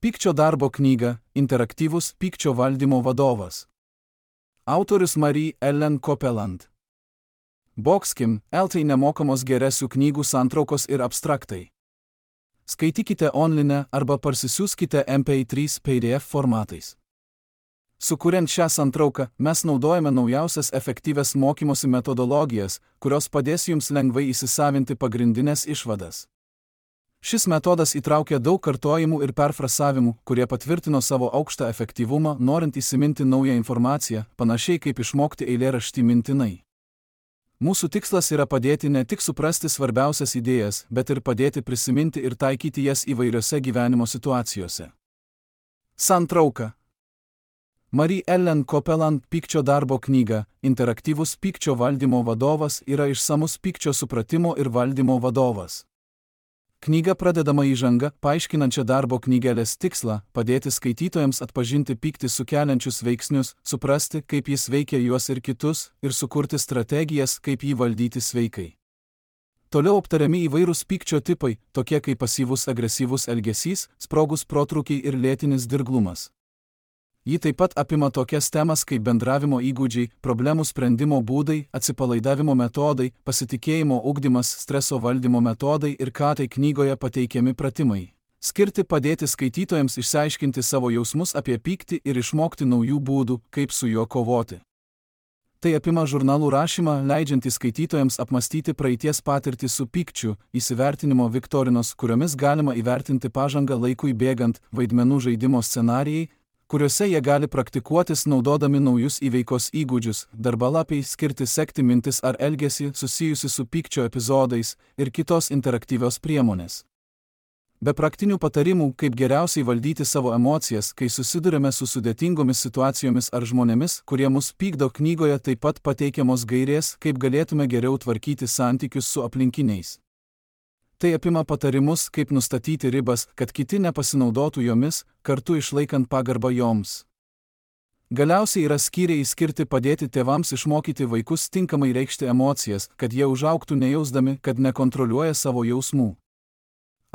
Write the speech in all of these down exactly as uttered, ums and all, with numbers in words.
Pykčio darbo knyga – interaktyvus pykčio valdymo vadovas. Autorius Marie Ellen Copeland. Boxkim, L T nemokamos geresių knygų santraukos ir abstraktai. Skaitykite online arba parsisiųskite M P trys P D F formatais. Sukuriant šią santrauką, mes naudojame naujausias efektyvias mokymosi metodologijas, kurios padės jums lengvai įsisavinti pagrindinės išvadas. Šis metodas įtraukia daug kartojimų ir perfrasavimų, kurie patvirtino savo aukštą efektyvumą, norint įsiminti naują informaciją, panašiai kaip išmokti eilėraštį mintinai. Mūsų tikslas yra padėti ne tik suprasti svarbiausias idėjas, bet ir padėti prisiminti ir taikyti jas įvairiose gyvenimo situacijose. Santrauka. Marie Ellen Copeland Pykčio darbo knyga – interaktyvus pykčio valdymo vadovas yra išsamus pykčio supratimo ir valdymo vadovas. Knyga pradedama įžanga, paaiškinančia darbo knygelės tikslą, padėti skaitytojams atpažinti pyktį sukeliančius veiksnius, suprasti, kaip jis veikia juos ir kitus, ir sukurti strategijas, kaip jį valdyti sveikai. Toliau aptariami įvairūs pykčio tipai, tokie kaip pasyvus agresyvus elgesys, sprogus protrūkiai ir lėtinis dirglumas. Ji taip pat apima tokias temas kaip bendravimo įgūdžiai, problemų sprendimo būdai, atsipalaidavimo metodai, pasitikėjimo ugdymas, streso valdymo metodai ir ką tai knygoje pateikiami pratimai. Skirti padėti skaitytojams išsiaiškinti savo jausmus apie pyktį ir išmokti naujų būdų, kaip su juo kovoti. Tai apima žurnalų rašymą, leidžiantį skaitytojams apmastyti praeities patirtį su pykčiu, įsivertinimo viktorinos, kuriomis galima įvertinti pažangą laikui bėgant, vaidmenų žaidimo scenarijai, kuriuose jie gali praktikuotis naudodami naujus įveikos įgūdžius, darbalapiai skirti sekti mintis ar elgesį susijusi su pykčio epizodais ir kitos interaktyvios priemonės. Be praktinių patarimų, kaip geriausiai valdyti savo emocijas, kai susidurime su sudėtingomis situacijomis ar žmonėmis, kurie mus pykdo, knygoje taip pat pateikiamos gairės, kaip galėtume geriau tvarkyti santykius su aplinkiniais. Tai apima patarimus, kaip nustatyti ribas, kad kiti nepasinaudotų jomis, kartu išlaikant pagarbą joms. Galiausiai yra skyriai skirti padėti tėvams išmokyti vaikus tinkamai reikšti emocijas, kad jie užaugtų nejausdami, kad nekontroliuoja savo jausmų.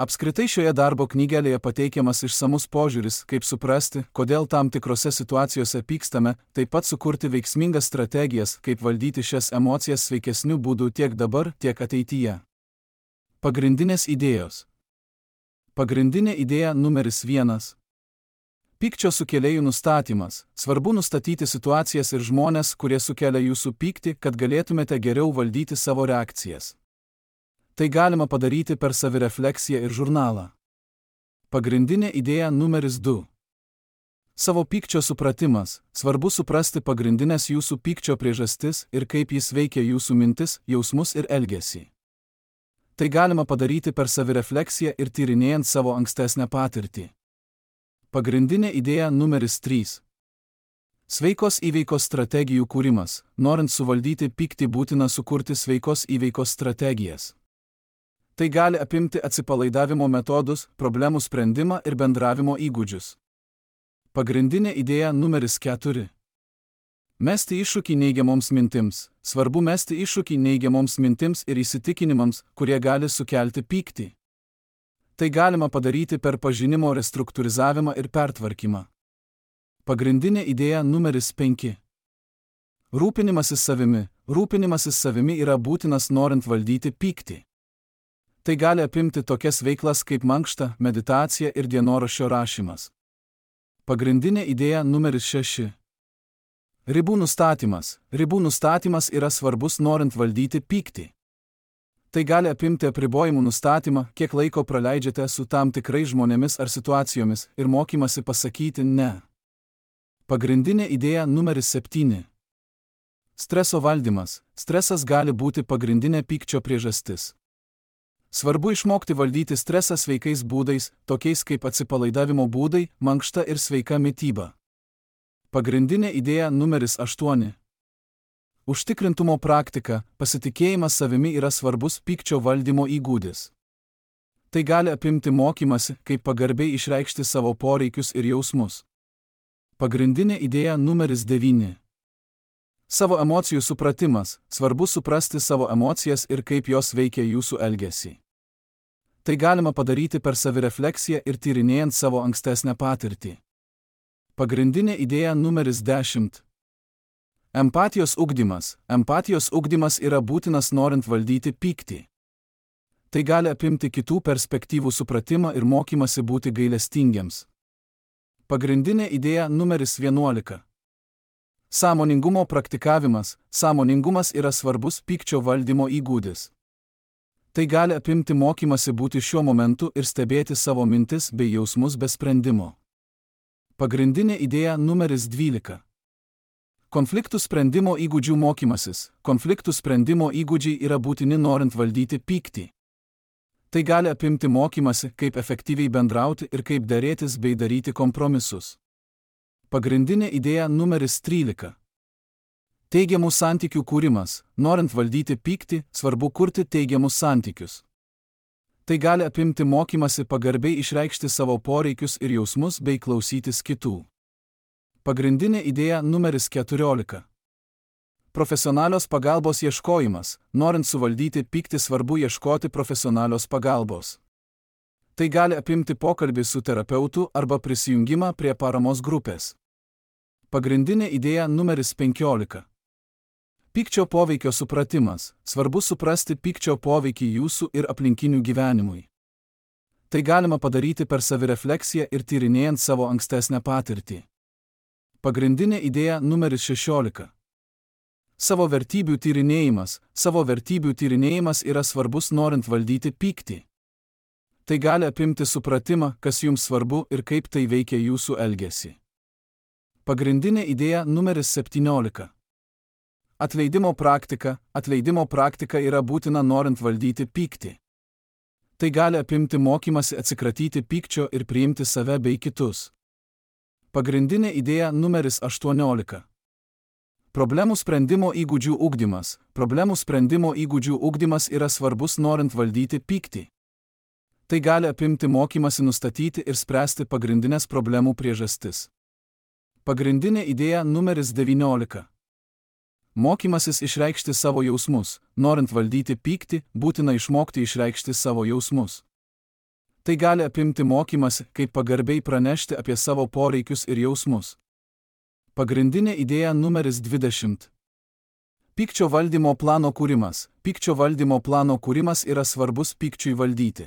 Apskritai šioje darbo knygelėje pateikiamas išsamus požiūris, kaip suprasti, kodėl tam tikrose situacijose pykstame, taip pat sukurti veiksmingas strategijas, kaip valdyti šias emocijas sveikesniu būdu tiek dabar, tiek ateityje. Pagrindinės idėjos. Pagrindinė idėja numeris vienas. Pykčio sukėlėjų nustatymas. Svarbu nustatyti situacijas ir žmones, kurie sukelia jūsų pyktį, kad galėtumėte geriau valdyti savo reakcijas. Tai galima padaryti per savirefleksiją ir žurnalą. Pagrindinė idėja numeris du. Savo pykčio supratimas. Svarbu suprasti pagrindinės jūsų pykčio priežastis ir kaip jis veikia jūsų mintis, jausmus ir elgesį. Tai galima padaryti per savirefleksiją ir tyrinėjant savo ankstesnę patirtį. Pagrindinė idėja numeris trys. Sveikos įveikos strategijų kūrimas. Norint suvaldyti pyktį, būtina sukurti sveikos įveikos strategijas. Tai gali apimti atsipalaidavimo metodus, problemų sprendimą ir bendravimo įgūdžius. Pagrindinė idėja numeris keturi. Mesti iššūkį neigiamoms mintims. Svarbu mesti iššūkį neigiamoms mintims ir įsitikinimams, kurie gali sukelti pyktį. Tai galima padaryti per pažinimo restruktūrizavimą ir pertvarkymą. Pagrindinė idėja numeris penki. Rūpinimasis savimi. Rūpinimasis savimi yra būtinas norint valdyti pyktį. Tai gali apimti tokias veiklas kaip mankšta, meditacija ir dienoraščio rašymas. Pagrindinė idėja numeris šeši. Ribų nustatymas. Ribų nustatymas yra svarbus norint valdyti pyktį. Tai gali apimti apribojimų nustatymą, kiek laiko praleidžiate su tam tikrais žmonėmis ar situacijomis ir mokymasi pasakyti ne. Pagrindinė idėja numeris septyni. Streso valdymas. Stresas gali būti pagrindinė pykčio priežastis. Svarbu išmokti valdyti stresą sveikais būdais, tokiais kaip atsipalaidavimo būdai, mankšta ir sveika mityba. Pagrindinė idėja numeris aštuoni. Užtikrintumo praktika. Pasitikėjimas savimi yra svarbus pykčio valdymo įgūdis. Tai gali apimti mokymasi, kaip pagarbiai išreikšti savo poreikius ir jausmus. Pagrindinė idėja numeris devyni. Savo emocijų supratimas. Svarbu suprasti savo emocijas ir kaip jos veikia jūsų elgesį. Tai galima padaryti per savirefleksiją ir tyrinėjant savo ankstesnę patirtį. Pagrindinė idėja numeris dešimt. Empatijos ugdymas. Empatijos ugdymas yra būtinas norint valdyti pyktį. Tai gali apimti kitų perspektyvų supratimą ir mokymasi būti gailestingiems. Pagrindinė idėja numeris vienuolika. Sąmoningumo praktikavimas. Sąmoningumas yra svarbus pykčio valdymo įgūdis. Tai gali apimti mokymasi būti šiuo momentu ir stebėti savo mintis bei jausmus be sprendimo. Pagrindinė idėja numeris dvylika. Konfliktų sprendimo įgūdžių mokymasis. Konfliktų sprendimo įgūdžiai yra būtini norint valdyti pyktį. Tai gali apimti mokymasi, kaip efektyviai bendrauti ir kaip derėtis bei daryti kompromisus. Pagrindinė idėja numeris trylika. Teigiamų santykių kūrimas. Norint valdyti pyktį, svarbu kurti teigiamus santykius. Tai gali apimti mokymasi pagarbiai išreikšti savo poreikius ir jausmus bei klausytis kitų. Pagrindinė idėja numeris keturiolika. Profesionalios pagalbos ieškojimas. Norint suvaldyti pyktį, svarbu ieškoti profesionalios pagalbos. Tai gali apimti pokalbį su terapeutu arba prisijungimą prie paramos grupės. Pagrindinė idėja numeris penkiolika. Pykčio poveikio supratimas. Svarbu suprasti pykčio poveikį jūsų ir aplinkinių gyvenimui. Tai galima padaryti per savirefleksiją ir tyrinėjant savo ankstesnę patirtį. Pagrindinė idėja numeris šešiolika. Savo vertybių tyrinėjimas. Savo vertybių tyrinėjimas yra svarbus norint valdyti pyktį. Tai gali apimti supratimą, kas jums svarbu ir kaip tai veikia jūsų elgesį. Pagrindinė idėja numeris septyniolika. Atleidimo praktika. Atleidimo praktika yra būtina norint valdyti pyktį. Tai gali apimti mokymasi atsikratyti pykčio ir priimti save bei kitus. Pagrindinė idėja numeris aštuoniolika. Problemų sprendimo įgūdžių ugdymas. Problemų sprendimo įgūdžių ugdymas yra svarbus norint valdyti pyktį. Tai gali apimti mokymasi nustatyti ir spręsti pagrindinės problemų priežastis. Pagrindinė idėja numeris devyniolika. Mokymasis išreikšti savo jausmus. Norint valdyti pyktį, būtina išmokti išreikšti savo jausmus. Tai gali apimti mokymasi, kaip pagarbiai pranešti apie savo poreikius ir jausmus. Pagrindinė idėja numeris dvidešimt. Pykčio valdymo plano kūrimas. Pykčio valdymo plano kūrimas yra svarbus pykčiui valdyti.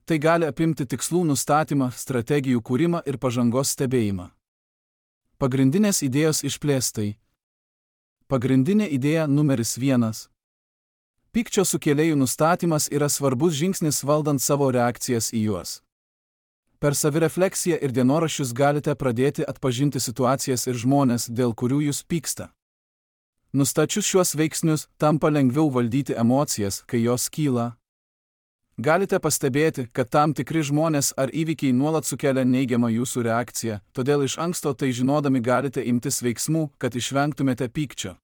Tai gali apimti tikslų nustatymą, strategijų kūrimą ir pažangos stebėjimą. Pagrindinės idėjos išplėstai. Pagrindinė idėja numeris vienas. Pykčio sukėlėjų nustatymas yra svarbus žingsnis valdant savo reakcijas į juos. Per savirefleksiją ir dienoraščius galite pradėti atpažinti situacijas ir žmones, dėl kurių jūs pyksta. Nustačius šiuos veiksnius, tampa lengviau valdyti emocijas, kai jos kyla. Galite pastebėti, kad tam tikri žmonės ar įvykiai nuolat sukelia neigiamą jūsų reakciją, todėl iš anksto tai žinodami galite imtis veiksmų, kad išvengtumėte pykčio.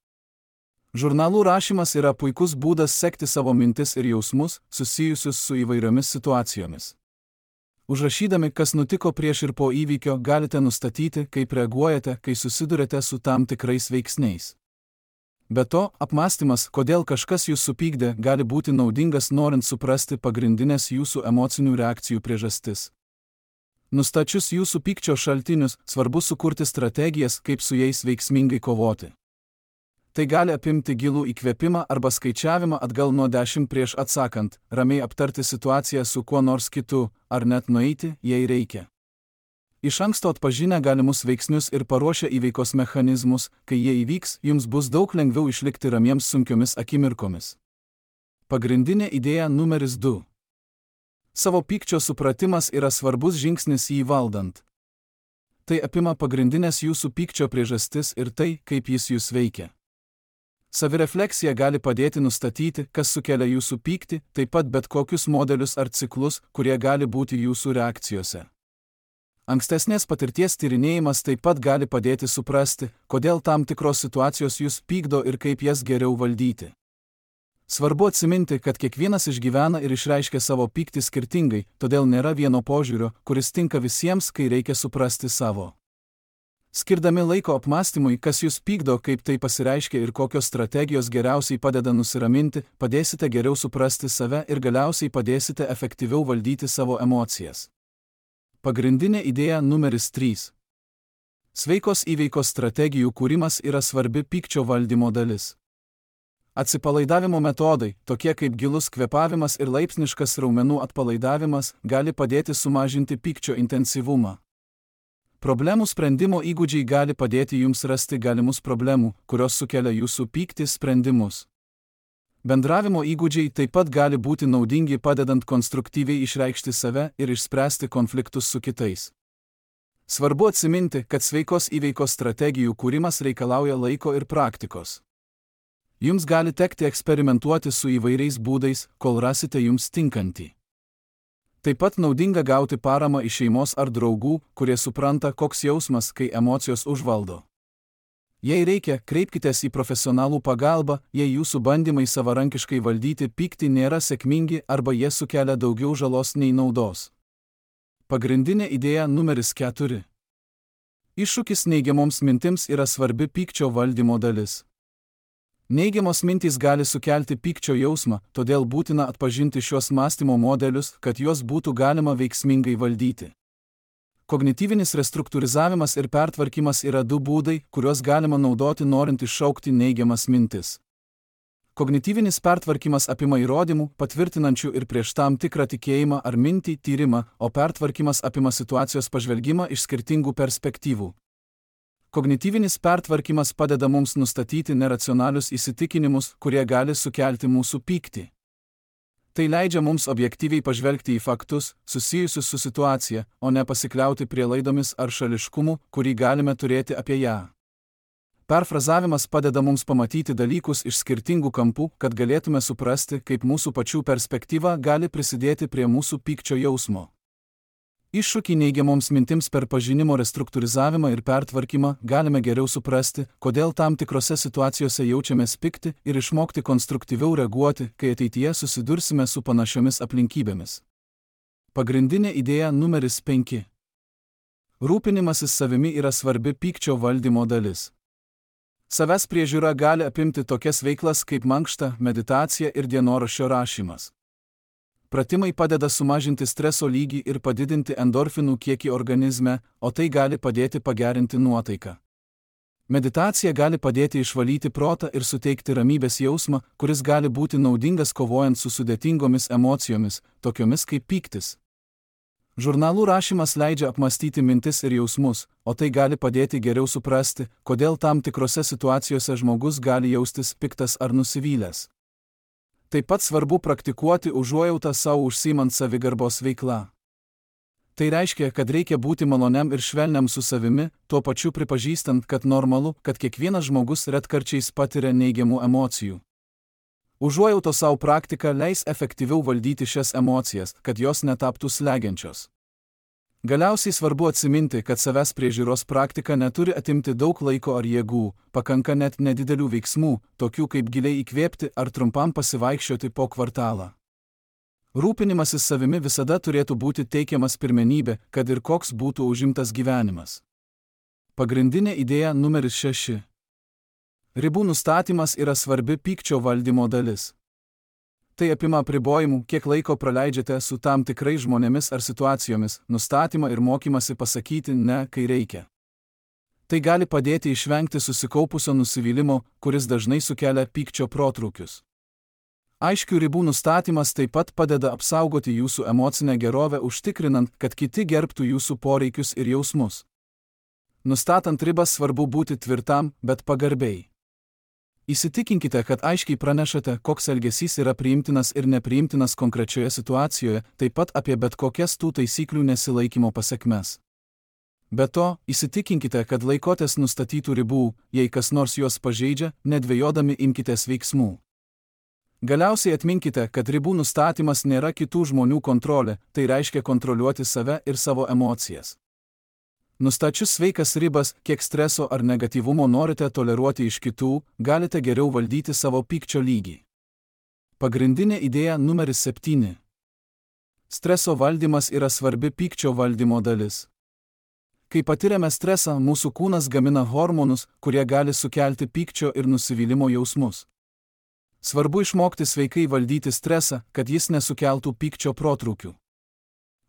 Žurnalų rašymas yra puikus būdas sekti savo mintis ir jausmus, susijusius su įvairiomis situacijomis. Užrašydami, kas nutiko prieš ir po įvykio, galite nustatyti, kaip reaguojate, kai susidurite su tam tikrais veiksniais. Be to, apmąstymas, kodėl kažkas jūs supykdė, gali būti naudingas norint suprasti pagrindinės jūsų emocinių reakcijų priežastis. Nustačius jūsų pykčio šaltinius, svarbu sukurti strategijas, kaip su jais veiksmingai kovoti. Tai gali apimti gilų įkvėpimą arba skaičiavimą atgal nuo dešimt prieš atsakant, ramiai aptarti situaciją su kuo nors kitu, ar net nueiti, jei reikia. Iš anksto atpažinę galimus veiksnius ir paruošę įveikos mechanizmus, kai jie įvyks, jums bus daug lengviau išlikti ramiems sunkiomis akimirkomis. Pagrindinė idėja numeris du. Savo pykčio supratimas yra svarbus žingsnis jį valdant. Tai apima pagrindinės jūsų pykčio priežastis ir tai, kaip jis jūs veikia. Savirefleksija gali padėti nustatyti, kas sukelia jūsų pyktį, taip pat bet kokius modelius ar ciklus, kurie gali būti jūsų reakcijose. Ankstesnės patirties tyrinėjimas taip pat gali padėti suprasti, kodėl tam tikros situacijos jūs pykdo ir kaip jas geriau valdyti. Svarbu atsiminti, kad kiekvienas išgyvena ir išreiškia savo pyktį skirtingai, todėl nėra vieno požiūrio, kuris tinka visiems, kai reikia suprasti savo Skirdami laiko apmąstymui, kas jūs pykdo, kaip tai pasireiškia ir kokios strategijos geriausiai padeda nusiraminti, padėsite geriau suprasti save ir galiausiai padėsite efektyviau valdyti savo emocijas. Pagrindinė idėja numeris trys. Sveikos įveikos strategijų kūrimas yra svarbi pykčio valdymo dalis. Atsipalaidavimo metodai, tokie kaip gilus kvėpavimas ir laipsniškas raumenų atpalaidavimas, gali padėti sumažinti pykčio intensyvumą. Problemų sprendimo įgūdžiai gali padėti jums rasti galimus problemų, kurios sukelia jūsų pyktį sprendimus. Bendravimo įgūdžiai taip pat gali būti naudingi padedant konstruktyviai išreikšti save ir išspręsti konfliktus su kitais. Svarbu atsiminti, kad sveikos įveikos strategijų kūrimas reikalauja laiko ir praktikos. Jums gali tekti eksperimentuoti su įvairiais būdais, kol rasite jums tinkantį. Taip pat naudinga gauti paramą iš šeimos ar draugų, kurie supranta, koks jausmas, kai emocijos užvaldo. Jei reikia, kreipkitės į profesionalų pagalbą, jei jūsų bandymai savarankiškai valdyti pyktį nėra sėkmingi arba jie sukelia daugiau žalos nei naudos. Pagrindinė idėja numeris keturi. Iššūkis neigiamoms mintims yra svarbi pykčio valdymo dalis. Neigiamos mintys gali sukelti pykčio jausmą, todėl būtina atpažinti šios mąstymo modelius, kad juos būtų galima veiksmingai valdyti. Kognityvinis restruktūrizavimas ir pertvarkymas yra du būdai, kuriuos galima naudoti norint iššaukti neigiamas mintis. Kognityvinis pertvarkymas apima įrodymų, patvirtinančių ir prieš tam tikrą tikėjimą ar mintį tyrimą, o pertvarkymas apima situacijos pažvelgimą iš skirtingų perspektyvų. Kognityvinis pertvarkymas padeda mums nustatyti neracionalius įsitikinimus, kurie gali sukelti mūsų pyktį. Tai leidžia mums objektyviai pažvelgti į faktus, susijusius su situacija, o ne pasikliauti prielaidomis ar šališkumu, kurį galime turėti apie ją. Perfrazavimas padeda mums pamatyti dalykus iš skirtingų kampų, kad galėtume suprasti, kaip mūsų pačių perspektyva gali prisidėti prie mūsų pykčio jausmo. Iššūkį neigiamoms mintims per pažinimo restruktūrizavimą ir pertvarkymą galime geriau suprasti, kodėl tam tikrose situacijose jaučiamės pikti ir išmokti konstruktyviau reaguoti, kai ateityje susidursime su panašiomis aplinkybėmis. Pagrindinė idėja numeris penki. Rūpinimasis savimi yra svarbi pykčio valdymo dalis. Savęs priežiūra gali apimti tokias veiklas kaip mankšta, meditacija ir dienoraščio rašymas. Pratimai padeda sumažinti streso lygį ir padidinti endorfinų kiekį organizme, o tai gali padėti pagerinti nuotaiką. Meditacija gali padėti išvalyti protą ir suteikti ramybės jausmą, kuris gali būti naudingas kovojant su sudėtingomis emocijomis, tokiomis kaip pyktis. Žurnalų rašymas leidžia apmąstyti mintis ir jausmus, o tai gali padėti geriau suprasti, kodėl tam tikrose situacijose žmogus gali jaustis piktas ar nusivylęs. Taip pat svarbu praktikuoti užuojautą savo užsiimant savigarbos veiklą. Tai reiškia, kad reikia būti maloniam ir švelniam su savimi, tuo pačiu pripažįstant, kad normalu, kad kiekvienas žmogus retkarčiais patiria neigiamų emocijų. Užuojautos savo praktika leis efektyviau valdyti šias emocijas, kad jos netaptų slegiančios. Galiausiai svarbu atsiminti, kad savęs priežiūros praktika neturi atimti daug laiko ar jėgų, pakanka net nedidelių veiksmų, tokių kaip giliai įkvėpti ar trumpam pasivaikščioti po kvartalą. Rūpinimasis savimi visada turėtų būti teikiamas pirmenybė, kad ir koks būtų užimtas gyvenimas. Pagrindinė idėja numeris šeši. Ribų nustatymas yra svarbi pykčio valdymo dalis. Tai apima apribojimų, kiek laiko praleidžiate su tam tikrais žmonėmis ar situacijomis, nustatymą ir mokymasi pasakyti ne, kai reikia. Tai gali padėti išvengti susikaupusio nusivylimo, kuris dažnai sukelia pykčio protrūkius. Aiškių ribų nustatymas taip pat padeda apsaugoti jūsų emocinę gerovę, užtikrinant, kad kiti gerbtų jūsų poreikius ir jausmus. Nustatant ribas svarbu būti tvirtam, bet pagarbiai. Įsitikinkite, kad aiškiai pranešate, koks elgesys yra priimtinas ir nepriimtinas konkrečioje situacijoje, taip pat apie bet kokias tų taisyklių nesilaikymo pasekmes. Be to, įsitikinkite, kad laikotės nustatytų ribų, jei kas nors juos pažeidžia, nedvejodami imkitės veiksmų. Galiausiai atminkite, kad ribų nustatymas nėra kitų žmonių kontrolė, tai reiškia kontroliuoti save ir savo emocijas. Nustačius sveikas ribas, kiek streso ar negatyvumo norite toleruoti iš kitų, galite geriau valdyti savo pykčio lygį. Pagrindinė idėja numeris septyni. Streso valdymas yra svarbi pykčio valdymo dalis. Kai patiriame stresą, mūsų kūnas gamina hormonus, kurie gali sukelti pykčio ir nusivylimo jausmus. Svarbu išmokti sveikai valdyti stresą, kad jis nesukeltų pykčio protrūkių.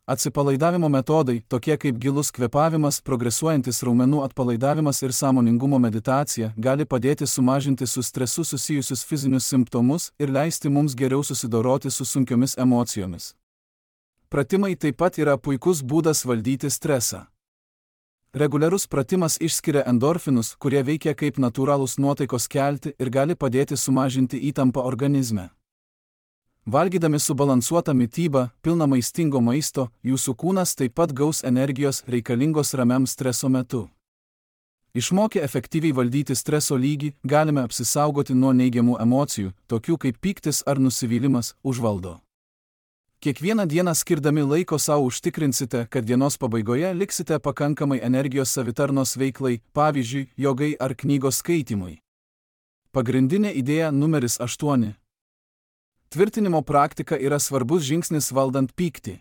Atsipalaidavimo metodai, tokie kaip gilus kvėpavimas, progresuojantis raumenų atpalaidavimas ir sąmoningumo meditacija, gali padėti sumažinti su stresu susijusius fizinius simptomus ir leisti mums geriau susidoroti su sunkiomis emocijomis. Pratimai taip pat yra puikus būdas valdyti stresą. Reguliarus pratimas išskiria endorfinus, kurie veikia kaip natūralūs nuotaikos kelti ir gali padėti sumažinti įtampą organizme. Valgydami subalansuotą mitybą, pilną maistingo maisto, jūsų kūnas taip pat gaus energijos reikalingos ramiam streso metu. Išmokę efektyviai valdyti streso lygį, galime apsisaugoti nuo neigiamų emocijų, tokių kaip pyktis ar nusivylimas, užvaldo. Kiekvieną dieną skirdami laiko savo užtikrinsite, kad dienos pabaigoje liksite pakankamai energijos savitarnos veiklai, pavyzdžiui, jogai ar knygos skaitymui. Pagrindinė idėja numeris aštuoni. Tvirtinimo praktika yra svarbus žingsnis valdant pyktį.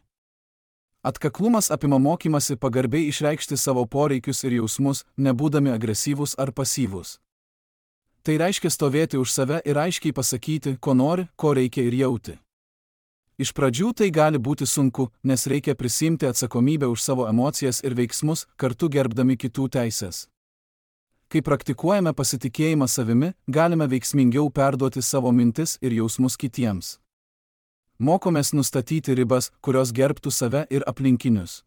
Atkaklumas apima mokymasi pagarbiai išreikšti savo poreikius ir jausmus, nebūdami agresyvūs ar pasyvūs. Tai reiškia stovėti už save ir aiškiai pasakyti, ko nori, ko reikia ir jauti. Iš pradžių tai gali būti sunku, nes reikia prisiimti atsakomybę už savo emocijas ir veiksmus, kartu gerbdami kitų teises. Kai praktikuojame pasitikėjimą savimi, galime veiksmingiau perduoti savo mintis ir jausmus kitiems. Mokomės nustatyti ribas, kurios gerbtų save ir aplinkinius.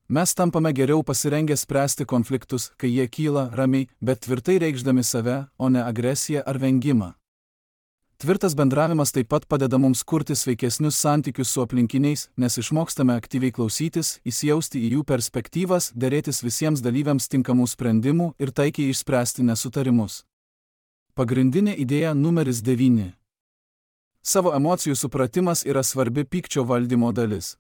Mes tampame geriau pasirengę spręsti konfliktus, kai jie kyla ramiai, bet tvirtai reikšdami save, o ne agresiją ar vengimą. Tvirtas bendravimas taip pat padeda mums kurti sveikesnius santykius su aplinkiniais, nes išmokstame aktyviai klausytis, įsijausti į jų perspektyvas, derėtis visiems dalyviams tinkamų sprendimų ir taikiai išspręsti nesutarimus. Pagrindinė idėja numeris devyni. Savo emocijų supratimas yra svarbi pykčio valdymo dalis.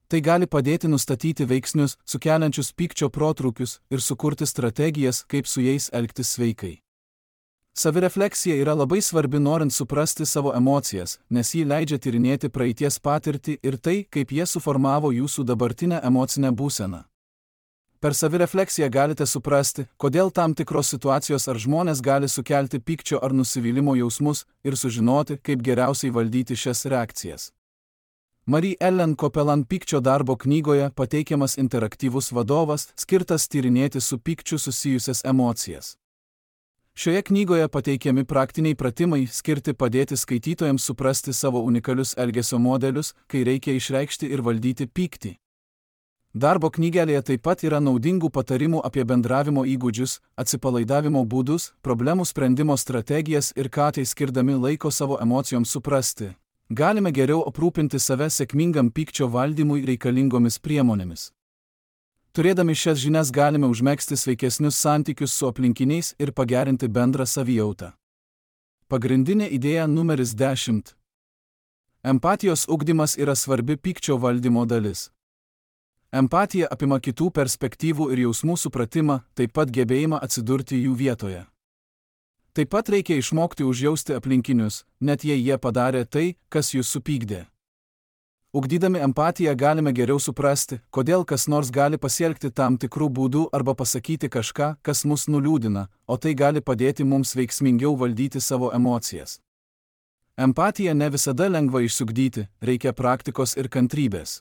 Tai gali padėti nustatyti veiksnius, sukeliančius pykčio protrūkius ir sukurti strategijas, kaip su jais elgtis sveikai. Savirefleksija yra labai svarbi norint suprasti savo emocijas, nes ji leidžia tyrinėti praeities patirtį ir tai, kaip jie suformavo jūsų dabartinę emocinę būseną. Per savirefleksiją galite suprasti, kodėl tam tikros situacijos ar žmonės gali sukelti pykčio ar nusivylimo jausmus ir sužinoti, kaip geriausiai valdyti šias reakcijas. Marie Ellen Copeland pykčio darbo knygoje pateikiamas interaktyvus vadovas, skirtas tyrinėti su pykčiu susijusias emocijas. Šioje knygoje pateikiami praktiniai pratimai skirti padėti skaitytojams suprasti savo unikalius elgesio modelius, kai reikia išreikšti ir valdyti pyktį. Darbo knygelėje taip pat yra naudingų patarimų apie bendravimo įgūdžius, atsipalaidavimo būdus, problemų sprendimo strategijas ir ką tai skirdami laiko savo emocijoms suprasti. Galime geriau aprūpinti save sėkmingam pykčio valdymui reikalingomis priemonėmis. Turėdami šias žinias galime užmegzti sveikesnius santykius su aplinkiniais ir pagerinti bendrą savijautą. Pagrindinė idėja numeris dešimt. Empatijos ugdymas yra svarbi pykčio valdymo dalis. Empatija apima kitų perspektyvų ir jausmų supratimą, taip pat gebėjimą atsidurti jų vietoje. Taip pat reikia išmokti užjausti aplinkinius, net jei jie padarė tai, kas jūs supykdė. Ugdydami empatiją galime geriau suprasti, kodėl kas nors gali pasielgti tam tikrų būdų arba pasakyti kažką, kas mus nuliūdina, o tai gali padėti mums veiksmingiau valdyti savo emocijas. Empatiją ne visada lengva išsiugdyti, reikia praktikos ir kantrybės.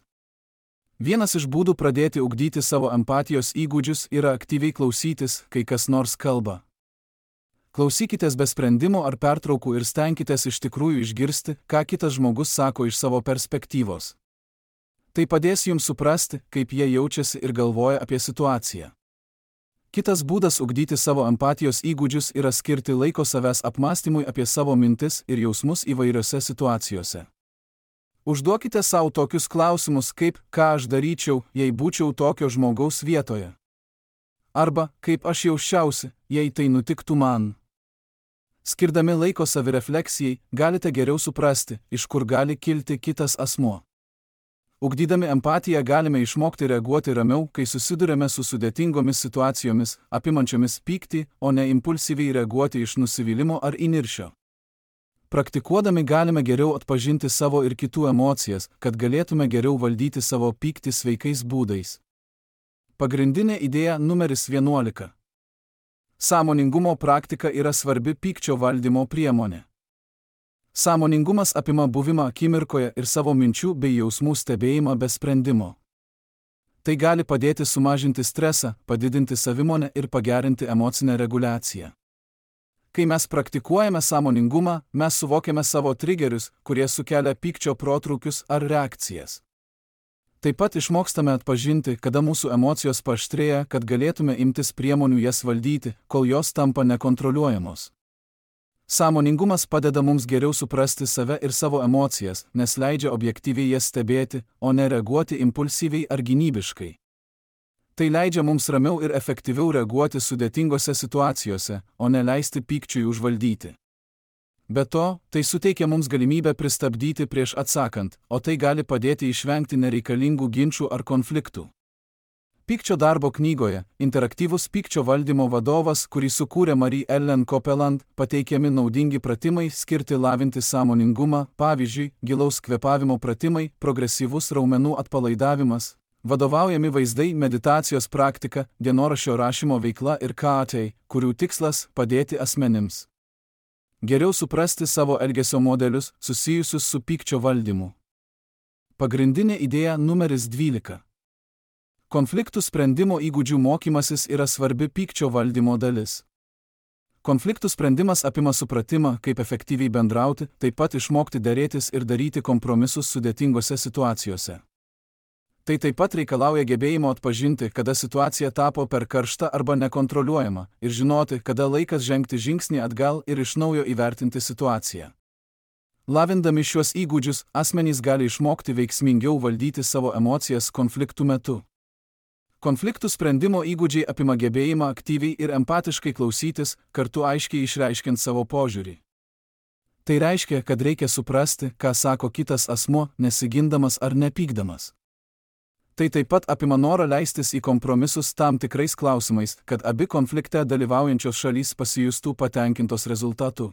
Vienas iš būdų pradėti ugdyti savo empatijos įgūdžius yra aktyviai klausytis, kai kas nors kalba. Klausykitės be sprendimo ar pertraukų ir stenkitės iš tikrųjų išgirsti, ką kitas žmogus sako iš savo perspektyvos. Tai padės jums suprasti, kaip jie jaučiasi ir galvoja apie situaciją. Kitas būdas ugdyti savo empatijos įgūdžius yra skirti laiko savęs apmąstymui apie savo mintis ir jausmus įvairiose situacijose. Užduokite savo tokius klausimus kaip, ką aš daryčiau, jei būčiau tokio žmogaus vietoje. Arba, kaip aš jausčiausi, jei tai nutiktų man. Skirdami laiko savirefleksijai, galite geriau suprasti, iš kur gali kilti kitas asmuo. Ugdydami empatiją galime išmokti reaguoti ramiau, kai susidurėme su sudėtingomis situacijomis, apimančiomis pyktį, o ne impulsyviai reaguoti iš nusivylimo ar įniršio. Praktikuodami galime geriau atpažinti savo ir kitų emocijas, kad galėtume geriau valdyti savo pyktį sveikais būdais. Pagrindinė idėja numeris vienuolika. Sąmoningumo praktika yra svarbi pykčio valdymo priemonė. Sąmoningumas apima buvimą akimirkoje ir savo minčių bei jausmų stebėjimą be sprendimo. Tai gali padėti sumažinti stresą, padidinti savimonę ir pagerinti emocinę reguliaciją. Kai mes praktikuojame sąmoningumą, mes suvokiame savo trigerius, kurie sukelia pykčio protrūkius ar reakcijas. Taip pat išmokstame atpažinti, kada mūsų emocijos paaštrėja, kad galėtume imtis priemonių jas valdyti, kol jos tampa nekontroliuojamos. Sąmoningumas padeda mums geriau suprasti save ir savo emocijas, nes leidžia objektyviai jas stebėti, o ne reaguoti impulsyviai ar gynybiškai. Tai leidžia mums ramiau ir efektyviau reaguoti sudėtingose situacijose, o ne leisti pykčiui užvaldyti. Be to, tai suteikia mums galimybę pristabdyti prieš atsakant, o tai gali padėti išvengti nereikalingų ginčų ar konfliktų. Pykčio darbo knygoje Interaktyvus pykčio valdymo vadovas, kurį sukūrė Marie Ellen Copeland, pateikiami naudingi pratimai skirti lavinti sąmoningumą, pavyzdžiui, gilaus kvėpavimo pratimai, progresyvus raumenų atpalaidavimas, vadovaujami vaizdai, meditacijos praktika, dienoraščio rašymo veikla ir K A T, kurių tikslas – padėti asmenims geriau suprasti savo elgesio modelius susijusius su pykčio valdymu. Pagrindinė idėja numeris dvylika. Konfliktų sprendimo įgūdžių mokymasis yra svarbi pykčio valdymo dalis. Konfliktų sprendimas apima supratimą, kaip efektyviai bendrauti, taip pat išmokti derėtis ir daryti kompromisus sudėtingose situacijose. Tai taip pat reikalauja gebėjimo atpažinti, kada situacija tapo per karšta arba nekontroliuojama, ir žinoti, kada laikas žengti žingsnį atgal ir iš naujo įvertinti situaciją. Lavindami šiuos įgūdžius, asmenys gali išmokti veiksmingiau valdyti savo emocijas konfliktų metu. Konfliktų sprendimo įgūdžiai apima gebėjimą aktyviai ir empatiškai klausytis, kartu aiškiai išreiškiant savo požiūrį. Tai reiškia, kad reikia suprasti, ką sako kitas asmuo, nesigindamas ar nepykdamas. Tai taip pat apima norą leistis į kompromisus tam tikrais klausimais, kad abi konflikte dalyvaujančios šalys pasijustų patenkintos rezultatu.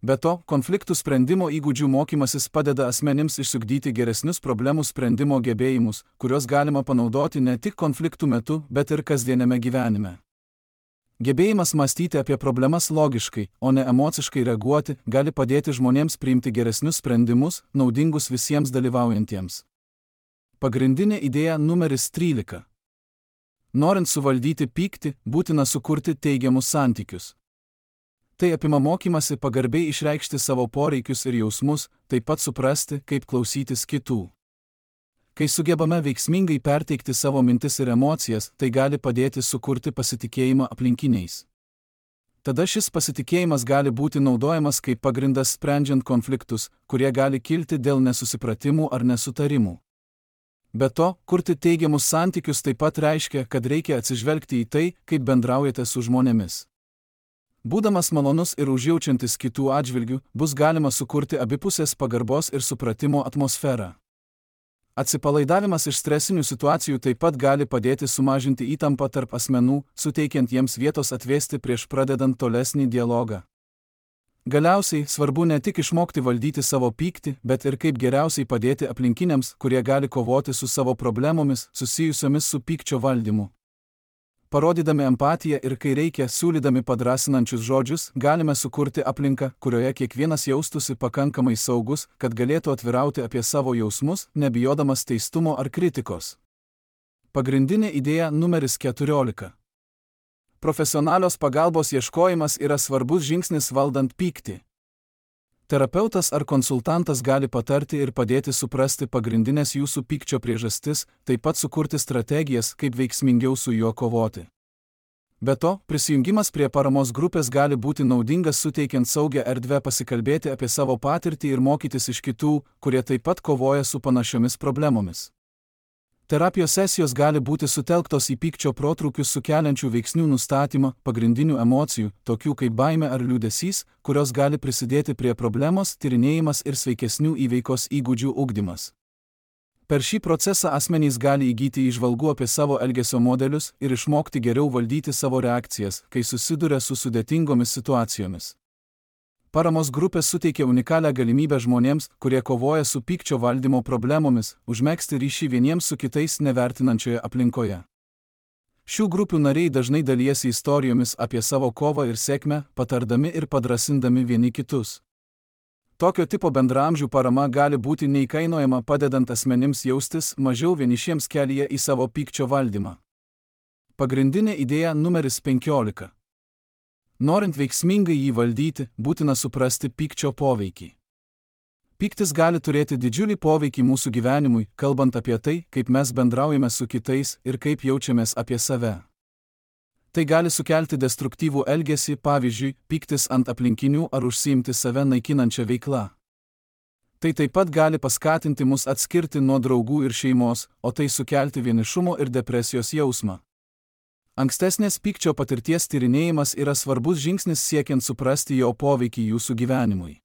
Be to, konfliktų sprendimo įgūdžių mokymasis padeda asmenims išsiugdyti geresnius problemų sprendimo gebėjimus, kuriuos galima panaudoti ne tik konfliktų metu, bet ir kasdieniame gyvenime. Gebėjimas mąstyti apie problemas logiškai, o ne emociškai reaguoti, gali padėti žmonėms priimti geresnius sprendimus, naudingus visiems dalyvaujantiems. Pagrindinė idėja numeris trylika. Norint suvaldyti pyktį, būtina sukurti teigiamus santykius. Tai apima mokymasi pagarbiai išreikšti savo poreikius ir jausmus, taip pat suprasti, kaip klausytis kitų. Kai sugebame veiksmingai perteikti savo mintis ir emocijas, tai gali padėti sukurti pasitikėjimą aplinkiniais. Tada šis pasitikėjimas gali būti naudojamas kaip pagrindas sprendžiant konfliktus, kurie gali kilti dėl nesusipratimų ar nesutarimų. Be to, kurti teigiamus santykius taip pat reiškia, kad reikia atsižvelgti į tai, kaip bendraujate su žmonėmis. Būdamas malonus ir užjaučiantis kitų atžvilgių, bus galima sukurti abipusės pagarbos ir supratimo atmosferą. Atsipalaidavimas iš stresinių situacijų taip pat gali padėti sumažinti įtampą tarp asmenų, suteikiant jiems vietos atvėsti prieš pradedant tolesnį dialogą. Galiausiai, svarbu ne tik išmokti valdyti savo pyktį, bet ir kaip geriausiai padėti aplinkiniams, kurie gali kovoti su savo problemomis susijusiomis su pykčio valdymu. Parodydami empatiją ir kai reikia, siūlydami padrasinančius žodžius, galime sukurti aplinką, kurioje kiekvienas jaustųsi pakankamai saugus, kad galėtų atvirauti apie savo jausmus, nebijodamas teistumo ar kritikos. Pagrindinė idėja numeris keturiolika. Profesionalios pagalbos ieškojimas yra svarbus žingsnis valdant pyktį. Terapeutas ar konsultantas gali patarti ir padėti suprasti pagrindinės jūsų pykčio priežastis, taip pat sukurti strategijas, kaip veiksmingiau su juo kovoti. Be to, prisijungimas prie paramos grupės gali būti naudingas suteikiant saugią erdvę pasikalbėti apie savo patirtį ir mokytis iš kitų, kurie taip pat kovoja su panašiomis problemomis. Terapijos sesijos gali būti sutelktos į pykčio protrūkius sukeliančių veiksnių nustatymą, pagrindinių emocijų, tokių kaip baimė ar liūdesys, kurios gali prisidėti prie problemos, tyrinėjimas ir sveikesnių įveikos įgūdžių ugdymas. Per šį procesą asmenys gali įgyti įžvalgų apie savo elgesio modelius ir išmokti geriau valdyti savo reakcijas, kai susiduria su sudėtingomis situacijomis. Paramos grupės suteikia unikalią galimybę žmonėms, kurie kovoja su pykčio valdymo problemomis, užmegzti ryšį vieniems su kitais nevertinančioje aplinkoje. Šių grupių nariai dažnai dalijasi istorijomis apie savo kovą ir sėkmę, patardami ir padrasindami vieni kitus. Tokio tipo bendraamžių parama gali būti neįkainojama, padedant asmenims jaustis mažiau vienišiems kelyje į savo pykčio valdymą. Pagrindinė idėja numeris penkiolika. Norint veiksmingai jį valdyti, būtina suprasti pykčio poveikį. Pyktis gali turėti didžiulį poveikį mūsų gyvenimui, kalbant apie tai, kaip mes bendraujame su kitais ir kaip jaučiamės apie save. Tai gali sukelti destruktyvų elgesį, pavyzdžiui, pyktis ant aplinkinių ar užsiimti save naikinančią veiklą. Tai taip pat gali paskatinti mus atskirti nuo draugų ir šeimos, o tai sukelti vienišumo ir depresijos jausmą. Ankstesnės pykčio patirties tyrinėjimas yra svarbus žingsnis siekiant suprasti jo poveikį jūsų gyvenimui.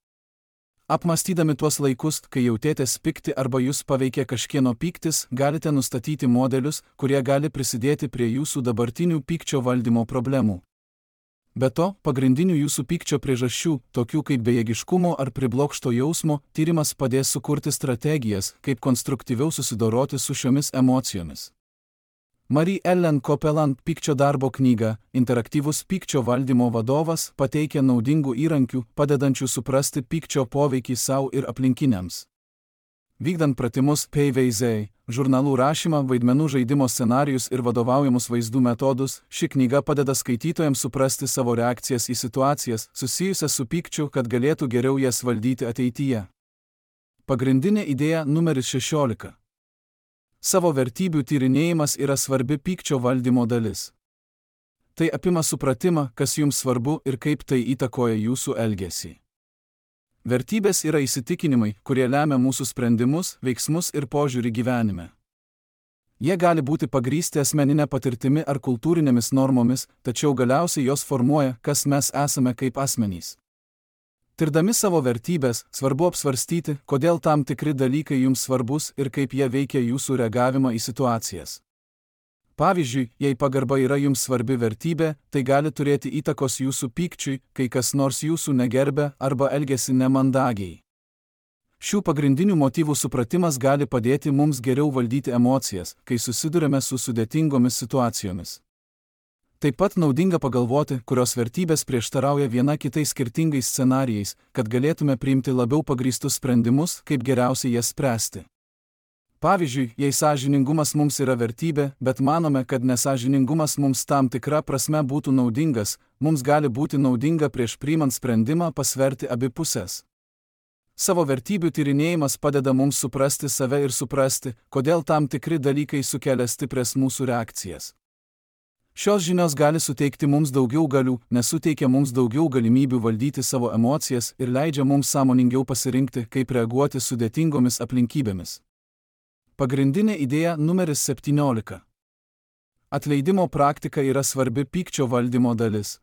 Apmąstydami tuos laikus, kai jautėtės pikti arba jūs paveikė kažkieno pyktis, galite nustatyti modelius, kurie gali prisidėti prie jūsų dabartinių pykčio valdymo problemų. Be to, pagrindinių jūsų pykčio priežasčių, tokių kaip bejėgiškumo ar priblokšto jausmo, tyrimas padės sukurti strategijas, kaip konstruktyviau susidoroti su šiomis emocijomis. Marie Ellen Copeland pykčio darbo knyga "Interaktyvus pykčio valdymo vadovas" pateikia naudingų įrankių, padedančių suprasti pykčio poveikį savo ir aplinkiniams. Vykdant pratimus P V Z, žurnalų rašymą, vaidmenų žaidimo scenarijus ir vadovaujamus vaizdų metodus, ši knyga padeda skaitytojams suprasti savo reakcijas į situacijas, susijusias su pykčiu, kad galėtų geriau jas valdyti ateityje. Pagrindinė idėja numeris šešiolika. Savo vertybių tyrinėjimas yra svarbi pykčio valdymo dalis. Tai apima supratimą, kas jums svarbu ir kaip tai įtakoja jūsų elgesį. Vertybės yra įsitikinimai, kurie lemia mūsų sprendimus, veiksmus ir požiūrį gyvenime. Jie gali būti pagrįsti asmeninė patirtimi ar kultūrinėmis normomis, tačiau galiausiai jos formuoja, kas mes esame kaip asmenys. Tirdami savo vertybės, svarbu apsvarstyti, kodėl tam tikri dalykai jums svarbus ir kaip jie veikia jūsų reagavimą į situacijas. Pavyzdžiui, jei pagarba yra jums svarbi vertybė, tai gali turėti įtakos jūsų pykčiui, kai kas nors jūsų negerbia arba elgiasi nemandagiai. Šių pagrindinių motyvų supratimas gali padėti mums geriau valdyti emocijas, kai susidurime su sudėtingomis situacijomis. Taip pat naudinga pagalvoti, kurios vertybės prieštarauja viena kitai skirtingais scenarijais, kad galėtume priimti labiau pagrįstus sprendimus, kaip geriausiai jas spręsti. Pavyzdžiui, jei sąžiningumas mums yra vertybė, bet manome, kad nesąžiningumas mums tam tikra prasme būtų naudingas, mums gali būti naudinga prieš priimant sprendimą pasverti abi pusės. Savo vertybių tyrinėjimas padeda mums suprasti save ir suprasti, kodėl tam tikri dalykai sukelia stiprias mūsų reakcijas. Šios žinios gali suteikti mums daugiau galių, nes suteikia mums daugiau galimybių valdyti savo emocijas ir leidžia mums sąmoningiau pasirinkti, kaip reaguoti sudėtingomis aplinkybėmis. Pagrindinė idėja numeris septyniolika. Atleidimo praktika yra svarbi pykčio valdymo dalis.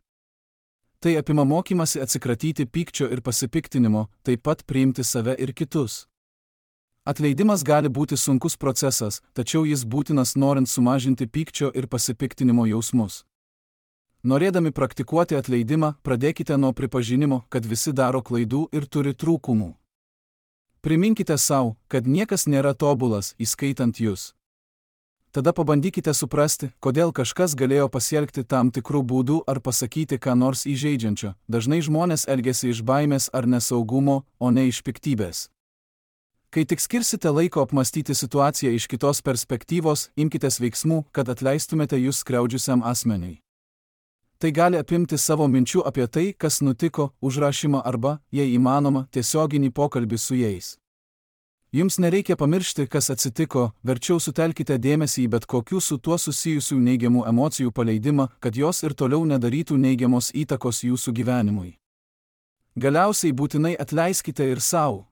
Tai apima mokymasi atsikratyti pykčio ir pasipiktinimo, taip pat priimti save ir kitus. Atleidimas gali būti sunkus procesas, tačiau jis būtinas norint sumažinti pykčio ir pasipiktinimo jausmus. Norėdami praktikuoti atleidimą, pradėkite nuo pripažinimo, kad visi daro klaidų ir turi trūkumų. Priminkite sau, kad niekas nėra tobulas, įskaitant jūs. Tada pabandykite suprasti, kodėl kažkas galėjo pasielgti tam tikrų būdų ar pasakyti ką nors įžeidžiančio. Dažnai žmonės elgiasi iš baimės ar nesaugumo, o ne iš piktybės. Kai tik skirsite laiko apmastyti situaciją iš kitos perspektyvos, imkitės veiksmų, kad atleistumėte jūs skriaudžiusiam asmeniui. Tai gali apimti savo minčių apie tai, kas nutiko, užrašymą arba, jei įmanoma, tiesioginį pokalbį su jais. Jums nereikia pamiršti, kas atsitiko, verčiau sutelkite dėmesį į bet kokių su tuo susijusių neigiamų emocijų paleidimą, kad jos ir toliau nedarytų neigiamos įtakos jūsų gyvenimui. Galiausiai būtinai atleiskite ir sau.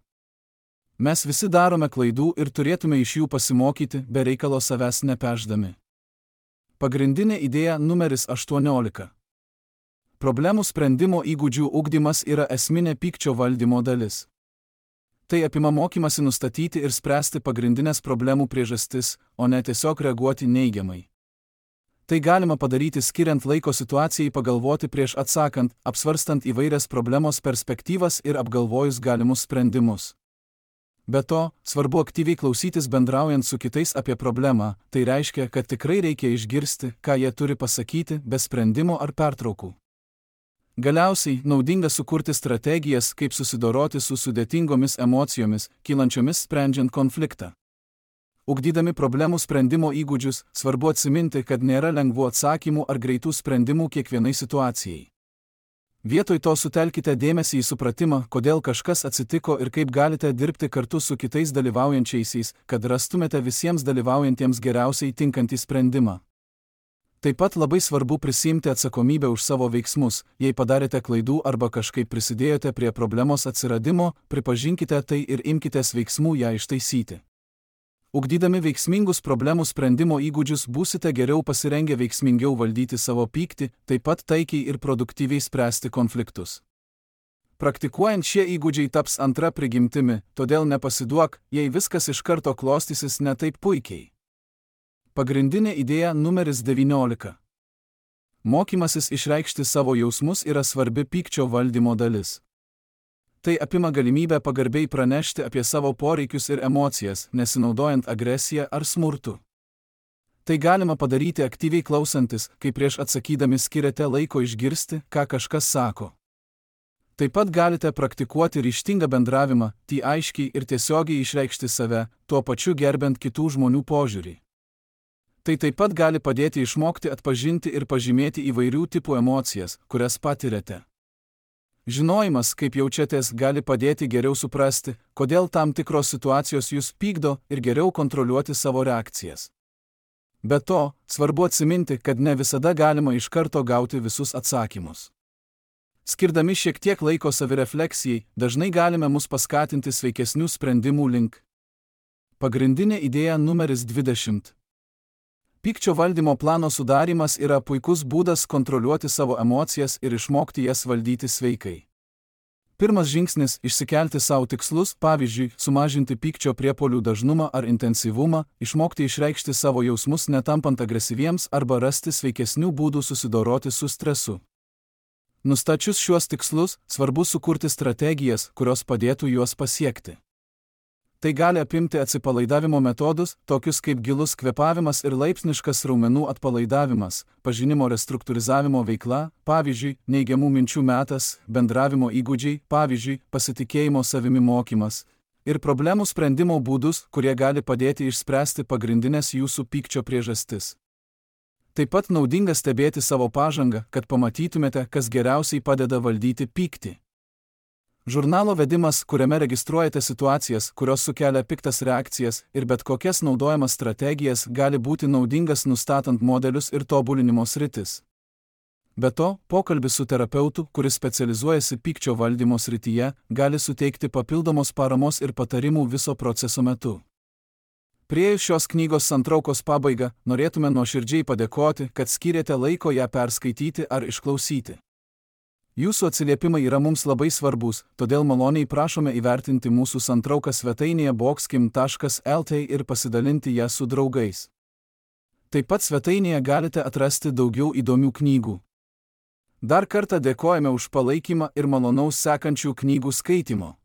Mes visi darome klaidų ir turėtume iš jų pasimokyti, be reikalo savęs nepešdami. Pagrindinė idėja numeris aštuoniolika. Problemų sprendimo įgūdžių ugdymas yra esminė pykčio valdymo dalis. Tai apima mokymasi nustatyti ir spręsti pagrindinės problemų priežastis, o ne tiesiog reaguoti neigiamai. Tai galima padaryti skiriant laiko situacijai pagalvoti prieš atsakant, apsvarstant įvairias problemos perspektyvas ir apgalvojus galimus sprendimus. Be to, svarbu aktyviai klausytis bendraujant su kitais apie problemą, tai reiškia, kad tikrai reikia išgirsti, ką jie turi pasakyti, be sprendimo ar pertraukų. Galiausiai, naudinga sukurti strategijas, kaip susidoroti su sudėtingomis emocijomis, kylančiomis sprendžiant konfliktą. Ugdydami problemų sprendimo įgūdžius, svarbu atsiminti, kad nėra lengvų atsakymų ar greitų sprendimų kiekvienai situacijai. Vietoj to sutelkite dėmesį į supratimą, kodėl kažkas atsitiko ir kaip galite dirbti kartu su kitais dalyvaujančiaisiais, kad rastumėte visiems dalyvaujantiems geriausiai tinkantį sprendimą. Taip pat labai svarbu prisiimti atsakomybę už savo veiksmus, jei padarėte klaidų arba kažkaip prisidėjote prie problemos atsiradimo, pripažinkite tai ir imkitės veiksmų ją ištaisyti. Ugdydami veiksmingus problemų sprendimo įgūdžius būsite geriau pasirengę veiksmingiau valdyti savo pyktį, taip pat taikiai ir produktyviai spręsti konfliktus. Praktikuojant šie įgūdžiai taps antra prigimtimi, todėl nepasiduok, jei viskas iš karto klostysis ne taip puikiai. Pagrindinė idėja numeris devyniolika. Mokymasis išreikšti savo jausmus yra svarbi pykčio valdymo dalis. Tai apima galimybę pagarbiai pranešti apie savo poreikius ir emocijas, nesinaudojant agresiją ar smurtu. Tai galima padaryti aktyviai klausantis, kai prieš atsakydami skiriate laiko išgirsti, ką kažkas sako. Taip pat galite praktikuoti ryžtingą bendravimą, tai aiškiai ir tiesiogiai išreikšti save, tuo pačiu gerbent kitų žmonių požiūrį. Tai taip pat gali padėti išmokti atpažinti ir pažymėti įvairių tipų emocijas, kurias patiriate. Žinojimas, kaip jaučiatės, gali padėti geriau suprasti, kodėl tam tikros situacijos jūs pykdo ir geriau kontroliuoti savo reakcijas. Be to, svarbu atsiminti, kad ne visada galima iš karto gauti visus atsakymus. Skirdami šiek tiek laiko savirefleksijai, dažnai galime mus paskatinti sveikesnių sprendimų link. Pagrindinė idėja numeris dvidešimt. Pykčio valdymo plano sudarimas yra puikus būdas kontroliuoti savo emocijas ir išmokti jas valdyti sveikai. Pirmas žingsnis – išsikelti savo tikslus, pavyzdžiui, sumažinti pykčio priepuolių dažnumą ar intensyvumą, išmokti išreikšti savo jausmus netampant agresyviems arba rasti sveikesnių būdų susidoroti su stresu. Nustačius šiuos tikslus, svarbu sukurti strategijas, kurios padėtų juos pasiekti. Tai gali apimti atsipalaidavimo metodus, tokius kaip gilus kvėpavimas ir laipsniškas raumenų atpalaidavimas, pažinimo restruktūrizavimo veikla, pavyzdžiui, neigiamų minčių metas, bendravimo įgūdžiai, pavyzdžiui, pasitikėjimo savimi mokymas, ir problemų sprendimo būdus, kurie gali padėti išspręsti pagrindinės jūsų pykčio priežastis. Taip pat naudinga stebėti savo pažangą, kad pamatytumėte, kas geriausiai padeda valdyti pyktį. Žurnalo vedimas, kuriame registruojate situacijas, kurios sukelia piktas reakcijas ir bet kokias naudojamas strategijas, gali būti naudingas nustatant modelius ir tobulinimo sritis. Be to, pokalbis su terapeutu, kuris specializuojasi pykčio valdymo srityje, gali suteikti papildomos paramos ir patarimų viso proceso metu. Priėjus šios knygos santraukos pabaigą, norėtume nuoširdžiai padėkoti, kad skyrėte laiko ją perskaityti ar išklausyti. Jūsų atsiliepimai yra mums labai svarbus, todėl maloniai prašome įvertinti mūsų santrauką svetainėje boxkim taškas el tė ir pasidalinti ją su draugais. Taip pat svetainėje galite atrasti daugiau įdomių knygų. Dar kartą dėkojame už palaikymą ir malonaus sekančių knygų skaitimo.